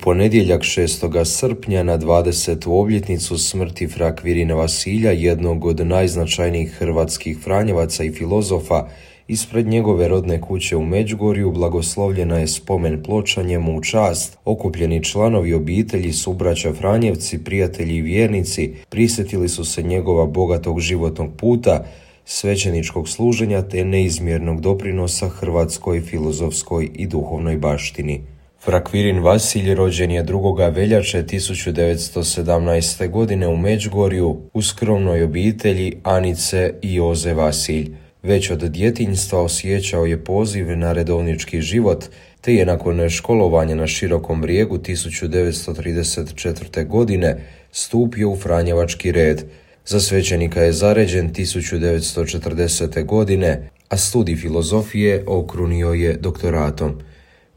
ponedjeljak 6. srpnja na 20. obljetnicu smrti fra Kvirina Vasilja, jednog od najznačajnijih hrvatskih franjevaca i filozofa, ispred njegove rodne kuće u Međugorju blagoslovljena je spomen ploča njemu u čast. Okupljeni članovi obitelji, subraća Franjevci, prijatelji i vjernici prisjetili su se njegova bogatog životnog puta, svećeničkog služenja te neizmjernog doprinosa hrvatskoj filozofskoj i duhovnoj baštini. Fra Kvirin Vasilj rođen je 2. veljače 1917. godine u Međugorju u skromnoj obitelji Anice i Joze Vasilj. Već od djetinjstva osjećao je poziv na redovnički život, te je nakon školovanja na Širokom Brijegu 1934. godine stupio u franjevački red. Za svećenika je zaređen 1940. godine, a studij filozofije okrunio je doktoratom.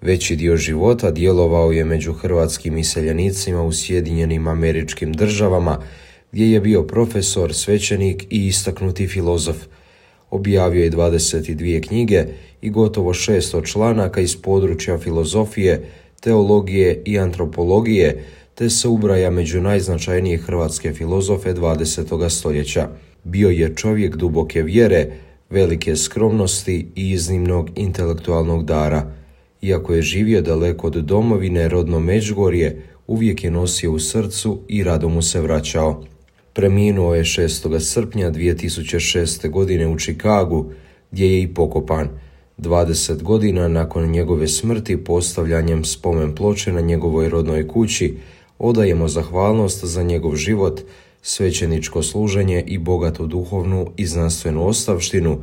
Veći dio života djelovao je među hrvatskim iseljenicima u Sjedinjenim Američkim Državama, gdje je bio profesor, svećenik i istaknuti filozof. Objavio je 22 knjige i gotovo 600 članaka iz područja filozofije, teologije i antropologije, te se ubraja među najznačajnije hrvatske filozofe 20. stoljeća. Bio je čovjek duboke vjere, velike skromnosti i iznimnog intelektualnog dara. Iako je živio daleko od domovine, rodno Međugorje uvijek je nosio u srcu i rado mu se vraćao. Preminuo je 6. srpnja 2006. godine u Čikagu, gdje je i pokopan. 20 godina nakon njegove smrti, postavljanjem spomen ploče na njegovoj rodnoj kući, odajemo zahvalnost za njegov život, svećeničko služenje i bogatu duhovnu i znanstvenu ostavštinu,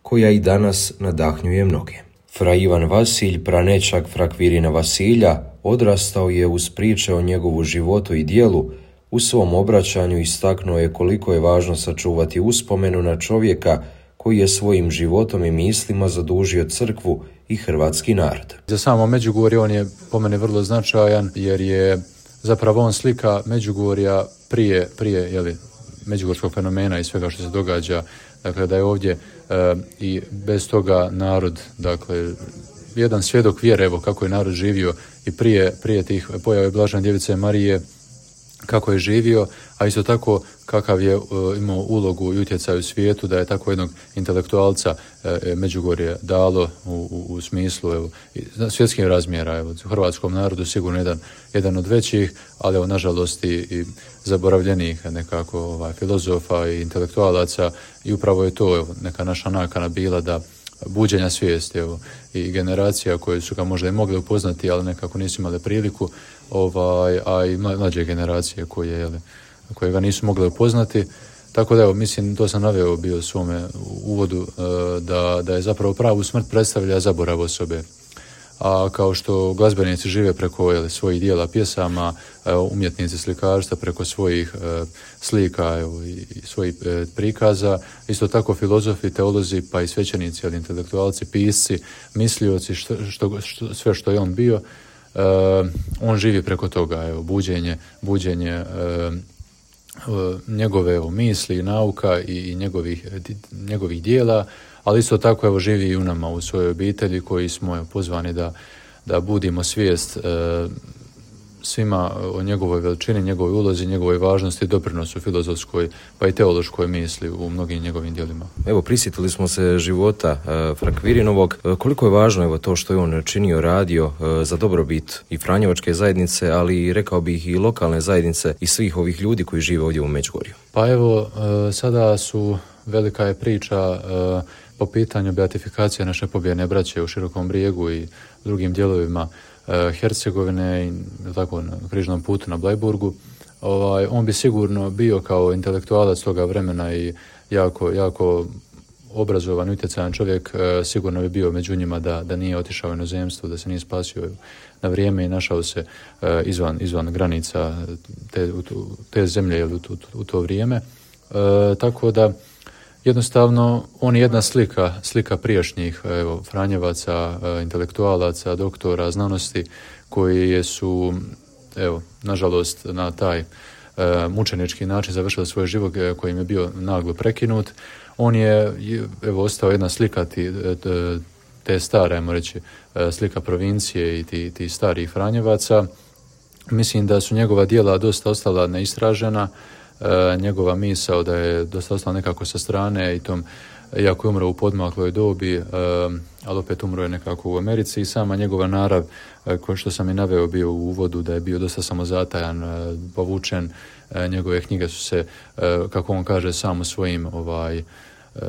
koja i danas nadahnjuje mnoge. Fra Ivan Vasilj, pranećak fra Kvirina Vasilja, odrastao je uz priče o njegovu životu i dijelu. U svom obraćanju istaknuo je koliko je važno sačuvati uspomenu na čovjeka koji je svojim životom i mislima zadužio crkvu i hrvatski narod. Za samo Međugorje on je po mene vrlo značajan, jer je zapravo on slika Međugorja prije međugorskog fenomena i svega što se događa. Dakle, da je ovdje i bez toga narod, dakle, jedan svjedok vjere, evo kako je narod živio i prije tih pojave Blažene Djevice Marije, kako je živio, a isto tako kakav je imao ulogu i utjecaj u svijetu, da je tako jednog intelektualca Međugorje dalo u smislu svjetskih razmjera. Evo, u hrvatskom narodu sigurno jedan od većih, ali evo, nažalost i zaboravljenih nekako filozofa i intelektualaca, i upravo je to neka naša nakana bila, da buđenja svijesti i generacija koje su ga možda i mogli upoznati, ali nekako nisu imali priliku, a i mlađe generacije koje ga nisu mogli upoznati. Tako da mislim, to sam naveo bio u svome uvodu, da je zapravo pravu smrt predstavlja zaborav osobe. A kao što glazbenici žive preko svojih dijela, pjesama, umjetnici slikarstva preko svojih slika i svojih prikaza, isto tako filozofi, teolozi, pa i svećenici, intelektualci, pisci, mislioci, sve što je on bio, on živi preko toga, buđenje njegove misli, nauka i njegovih dijela, ali isto tako živi i u nama, u svojoj obitelji, koji smo pozvani da budimo svijest svima o njegovoj veličini, njegovoj ulozi, njegovoj važnosti i doprinosu filozofskoj pa i teološkoj misli u mnogim njegovim djelima. Evo, prisjetili smo se života fra Kvirinovog. Koliko je važno to što je on činio, radio za dobrobit i franjevačke zajednice, ali rekao bih i lokalne zajednice i svih ovih ljudi koji žive ovdje u Međugorju? Pa evo, sada velika je priča po pitanju beatifikacije naše pobijene braće u Širokom Brijegu i drugim dijelovima Hercegovine i tako na križnom putu na Blajburgu. On bi sigurno bio kao intelektualac toga vremena i jako obrazovan, utjecajan čovjek, sigurno bi bio među njima da nije otišao u inozemstvo, da se nije spasio na vrijeme i našao se izvan granica te zemlje u to vrijeme. Tako da jednostavno on je jedna slika prijašnjih franjevaca, intelektualaca, doktora znanosti, koji su, nažalost, na taj mučenički način završili svoj život koji im je bio naglo prekinut. On je ostao jedna slika te stare, ajmo reći, slika provincije i ti starih franjevaca, Mislim da su njegova djela dosta ostala neistražena, njegova misao da je dosta ostala nekako sa strane i tom, iako je umro u podmakloj dobi, ali opet umro je nekako u Americi i sama njegova narav, ko što sam i naveo bio u uvodu, da je bio dosta samozatajan, povučen, njegove knjige su se, kako on kaže, samo svojim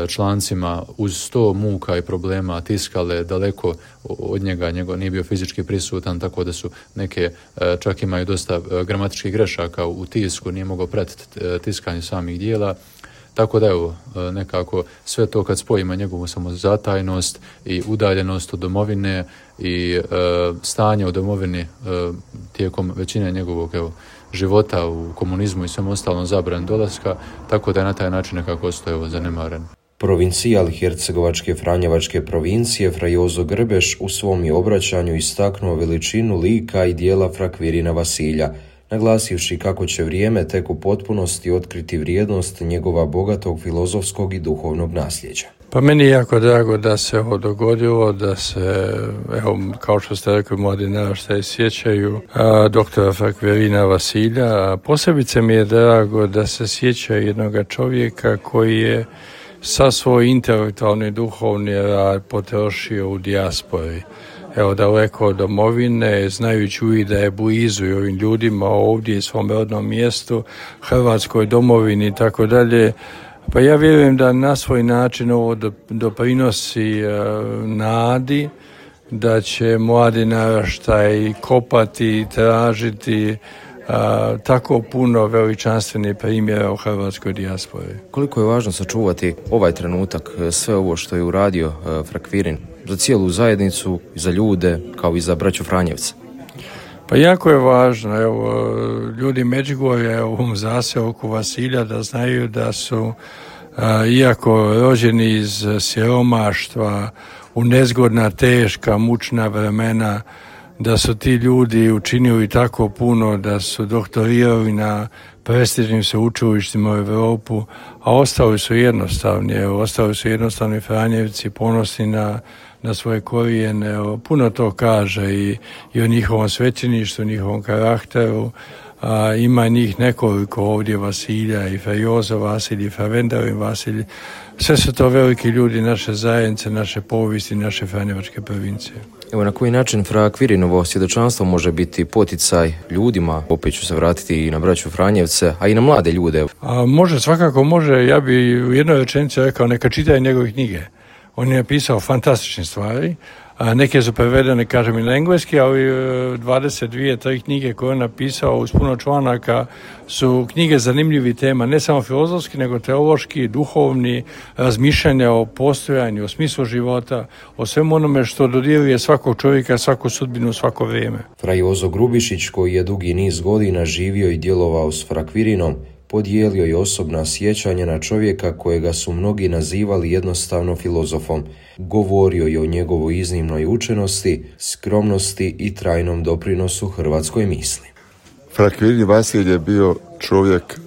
člancima uz 100 muka i problema tiskale daleko od njega, nije bio fizički prisutan, tako da su neke, čak imaju dosta gramatičkih grešaka u tisku, nije mogao pratiti tiskanje samih dijela. Tako da evo, nekako sve to kad spojimo njegovu samozatajnost i udaljenost od domovine i stanje u domovini tijekom većine njegovog života u komunizmu i svem ostalom zabran dolaska, tako da je na taj način nekako ostao zanemaren. Provincijal Hercegovačke Franjevačke provincije Fra Jozo Grbeš u svom je obraćanju istaknuo veličinu lika i dijela Fra Kvirina Vasilja, naglasivši kako će vrijeme tek u potpunosti otkriti vrijednost njegova bogatog filozofskog i duhovnog nasljeđa. Pa meni je jako drago da se ovo dogodilo, da se, evo, kao što ste rekli, mladi naraštaji sjećaju doktora Fra Kvirina Vasilja. Posebice mi je drago da se sjećaju jednog čovjeka koji je sa svoj intelektualni duhovni rad potrošio u dijaspori. Evo, daleko od domovine, znajući uvijek da je blizu i ovim ljudima ovdje i svom rodnom mjestu, Hrvatskoj domovini i tako dalje. Pa ja vjerujem da na svoj način ovo doprinosi nadi, da će mladi naraštaj kopati i tražiti tako puno veličanstvenih primjera u hrvatskoj dijaspori. Koliko je važno sačuvati ovaj trenutak, sve ovo što je uradio Fra Kvirin za cijelu zajednicu, za ljude, kao i za braću Franjevce? Pa jako je važno, evo, ljudi Međugorja u ovom zaseoku Vasilja da znaju da su, iako rođeni iz siromaštva, u nezgodna, teška, mučna vremena, da su ti ljudi učinili tako puno, da su doktorirali na prestižnim sveučilištima u Europu, a ostali su jednostavni. Ostali su jednostavni Franjevci, ponosni na svoje korijene. Puno to kaže i o njihovom svećeništvu, njihovom karakteru. Ima njih nekoliko ovdje, Vasilja i Fra Jozo Vasilj i Fra Vendarin Vasilj. Sve su to veliki ljudi naše zajednice, naše povijesti, naše Franjevačke provincije. Evo, na koji način Fra Kvirinovo svjedočanstvo može biti poticaj ljudima, opet ću se vratiti i na braću Franjevce, a i na mlade ljude? Može, svakako može. Ja bi u jednoj rečenici rekao, neka čitaju njegove knjige. On je napisao fantastične stvari. Neke su prevedene, kažem, i na engleski, ali 22-3 knjige koje on napisao uz puno članaka su knjige zanimljivih tema, ne samo filozofski, nego teološki, duhovni, razmišljanja o postojanju, o smislu života, o svemu onome što dodiruje svakog čovjeka, svaku sudbinu, svako vrijeme. Fra Jozo Grubišić, koji je dugi niz godina živio i djelovao s Fra Kvirinom, podijelio je osobna sjećanja na čovjeka kojega su mnogi nazivali jednostavno filozofom. Govorio je o njegovoj iznimnoj učenosti, skromnosti i trajnom doprinosu hrvatskoj misli. Fra Kvirin Vasilj je bio čovjek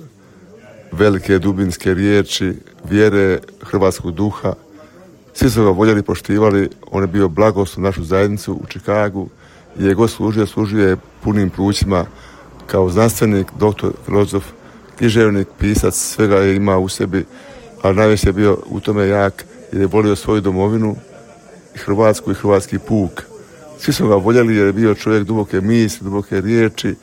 velike dubinske riječi, vjere, hrvatskog duha. Svi su ga voljeli, poštivali. On je bio blagoslov našu zajednicu u Čikagu. Je god služio je punim plućima kao znanstvenik, doktor, filozof, književnik, pisac, svega je imao u sebi, a najviše je bio u tome jak jer je volio svoju domovinu, Hrvatsku i hrvatski puk. Svi su ga voljeli jer je bio čovjek duboke misli, duboke riječi,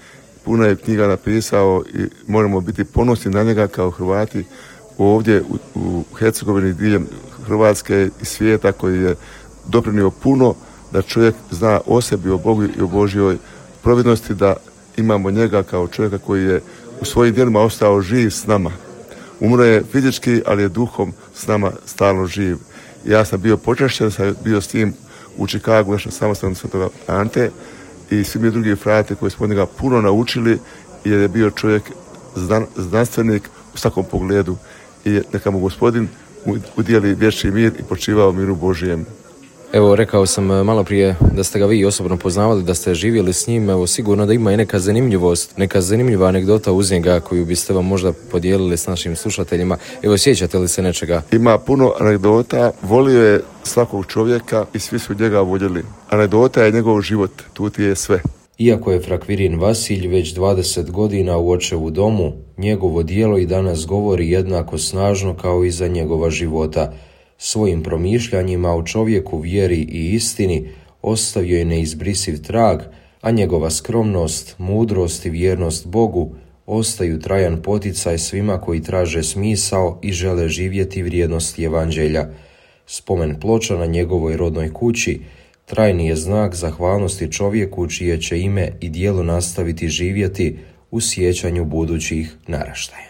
puno je knjiga napisao i moramo biti ponosni na njega kao Hrvati ovdje u Hercegovini, diljem Hrvatske i svijeta, koji je doprinio puno da čovjek zna o sebi, o Bogu i o Božjoj providnosti, da imamo njega kao čovjeka koji je u svojim djelima ostao živ s nama. Umro je fizički, ali je duhom s nama stalno živ. Ja sam bio počašćen, sam bio s tim u Čikagu, našem samostalnom Svetoga Ante, i svi mi drugi frate koji smo od njega puno naučili, jer je bio čovjek znanstvenik u svakom pogledu. I neka mu Gospodin udijeli vječni mir i počivao miru Božijem. Evo, rekao sam malo prije da ste ga vi osobno poznavali, da ste živjeli s njim. Evo, sigurno da ima i neka zanimljivost, neka zanimljiva anegdota uz njega koju biste vam možda podijelili s našim slušateljima. Evo, sjećate li se nečega? Ima puno anegdota. Volio je svakog čovjeka i svi su njega voljeli. Anegdota je njegov život, tu ti je sve. Iako je Frakvirin Vasilj već 20 godina u očevu domu, njegovo djelo i danas govori jednako snažno kao i za njegova života. Svojim promišljanjima o čovjeku, vjeri i istini ostavio je neizbrisiv trag, a njegova skromnost, mudrost i vjernost Bogu ostaju trajan poticaj svima koji traže smisao i žele živjeti vrijednosti evanđelja. Spomen ploča na njegovoj rodnoj kući trajni je znak zahvalnosti čovjeku čije će ime i djelo nastaviti živjeti u sjećanju budućih naraštaja.